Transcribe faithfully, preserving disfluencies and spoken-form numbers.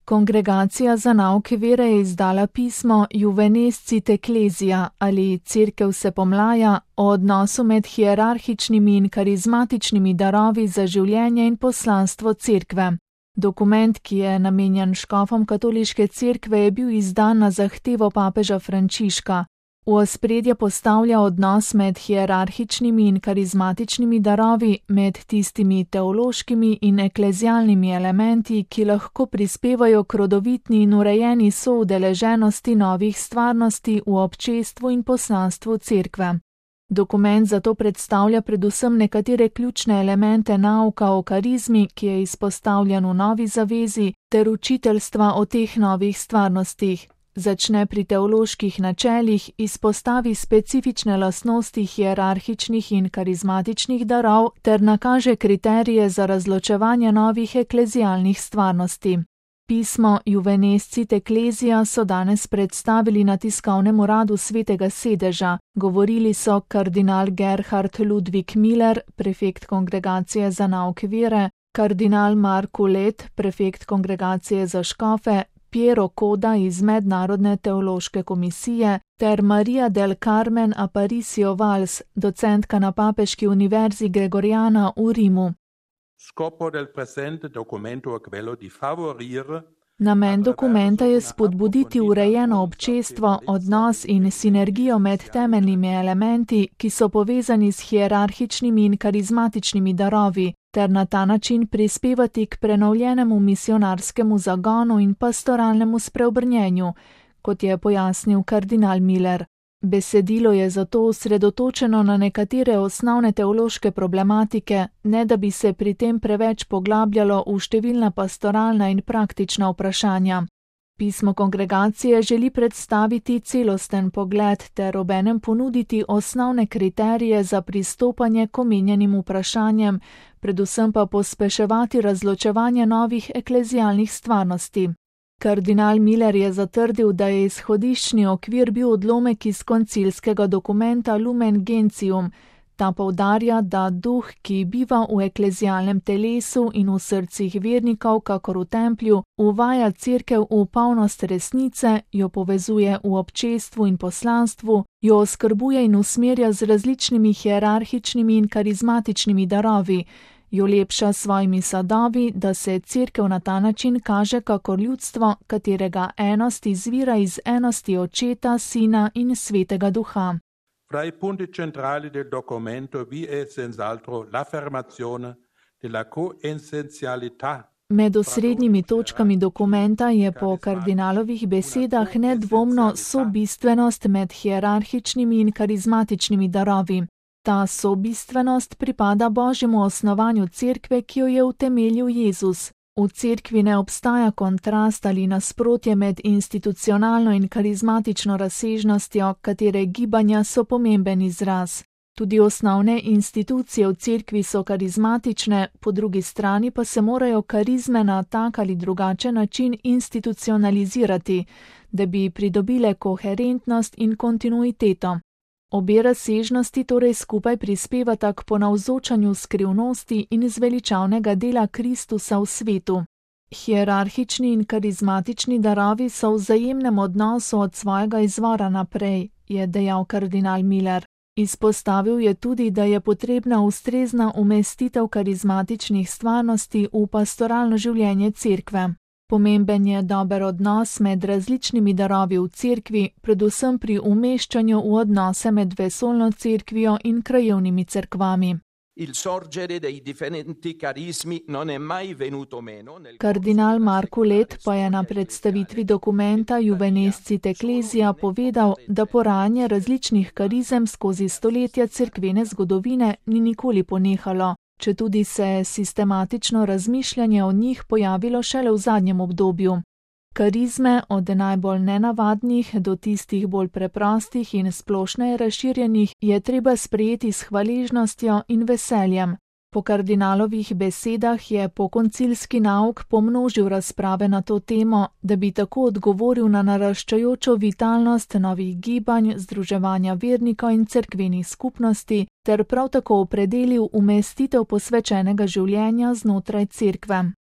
Kongregacija za nauk vere je izdala pismo Juvenescit Ecclesia ali Cerkev se pomlaja o odnosu med hierarhičnimi in karizmatičnimi darovi za življenje in poslanstvo cerkve. Dokument, ki je namenjen škofom katoliške cerkve, je bil izdan na zahtevo papeža Frančiška. V ospredje postavlja odnos med hierarhičnimi in karizmatičnimi darovi, med tistimi teološkimi in eklezialnimi elementi, ki lahko prispevajo k rodovitni in urejeni soudeleženosti novih stvarnosti v občestvu in poslanstvu cerkve. Dokument zato predstavlja predvsem nekatere ključne elemente nauka o karizmi, ki je izpostavljen v Novi zavezi, ter učiteljstva o teh novih stvarnostih. Začne pri teoloških načelih, izpostavi specifične lastnosti hierarhičnih in karizmatičnih darov ter nakaže kriterije za razločevanje novih eklezialnih stvarnosti. Pismo Juvenescit Ecclesia so danes predstavili na tiskovnem uradu Svetega sedeža. Govorili so kardinal Gerhard Ludwig Miller, prefekt Kongregacije za nauk vere, kardinal Marko Let, prefekt Kongregacije za škofe, Piero Koda iz Mednarodne teološke komisije ter Maria del Carmen Aparicio Valls, docentka na Papeški univerzi Gregoriana v Rimu. Namen dokumenta je spodbuditi urejeno občestvo, odnos in sinergijo med temeljnimi elementi, ki so povezani s hierarhičnimi in karizmatičnimi darovi, ter na ta način prispevati k prenovljenemu misionarskemu zagonu in pastoralnemu spreobrnjenju, kot je pojasnil kardinal Miller. Besedilo je zato osredotočeno na nekatere osnovne teološke problematike, ne da bi se pri tem preveč poglabljalo v številna pastoralna in praktična vprašanja. Pismo kongregacije želi predstaviti celosten pogled ter obenem ponuditi osnovne kriterije za pristopanje k omenjenim vprašanjem, predvsem pa pospeševati razločevanje novih eklezialnih stvarnosti. Kardinal Miller je zatrdil, da je izhodiščni okvir bil odlomek iz koncilskega dokumenta Lumen Gentium. Ta poudarja, da duh, ki biva v eklezialnem telesu in v srcih vernikov, kakor v templju, uvaja cerkev v polnost resnice, jo povezuje v občestvu in poslanstvu, jo oskrbuje in usmerja z različnimi hierarhičnimi in karizmatičnimi darovi, jo lepša s svojimi sadovi, da se cerkev na ta način kaže kakor ljudstvo, katerega enost izvira iz enosti Očeta, Sina in Svetega Duha. Fra i punti centrali del documento vi è senz'altro l'affermazione della coessenzialità. Med osrednjimi točkami dokumenta je po kardinalovih besedah nedvomno sobistvenost med hierarhičnimi in karizmatičnimi darovi. Ta sobistvenost pripada Božjemu osnovanju cerkve, ki jo je utemeljil Jezus. V cerkvi ne obstaja kontrast ali nasprotje med institucionalno in karizmatično razsežnostjo, katere gibanja so pomemben izraz. Tudi osnovne institucije v cerkvi so karizmatične, po drugi strani pa se morajo karizme na tak ali drugačen način institucionalizirati, da bi pridobile koherentnost in kontinuiteto. Obe razsežnosti torej skupaj prispevata k ponavzočanju skrivnosti in zveličavnega dela Kristusa v svetu. Hierarhični in karizmatični darovi so v vzajemnem odnosu od svojega izvora naprej, je dejal kardinal Miller. Izpostavil je tudi, da je potrebna ustrezna umestitev karizmatičnih stvarnosti v pastoralno življenje cerkve. Pomemben je dober odnos med različnimi darovi v cerkvi, predvsem pri umeščanju v odnose med vesoljno cerkvijo in krajevnimi cerkvami. Kardinal Marko Let pa je na predstavitvi dokumenta Juvenescit Ecclesia povedal, da porajanje različnih karizem skozi stoletja cerkvene zgodovine ni nikoli ponehalo, četudi se je sistematično razmišljanje o njih pojavilo šele v zadnjem obdobju. Karizme, od najbolj nenavadnih do tistih bolj preprostih in splošneje razširjenih, je treba sprejeti s hvaležnostjo in veseljem. Po kardinalovih besedah je pokoncilski nauk pomnožil razprave na to temo, da bi tako odgovoril na naraščajočo vitalnost novih gibanj, združevanja vernikov in cerkvenih skupnosti, ter prav tako opredelil umestitev posvečenega življenja znotraj cerkve.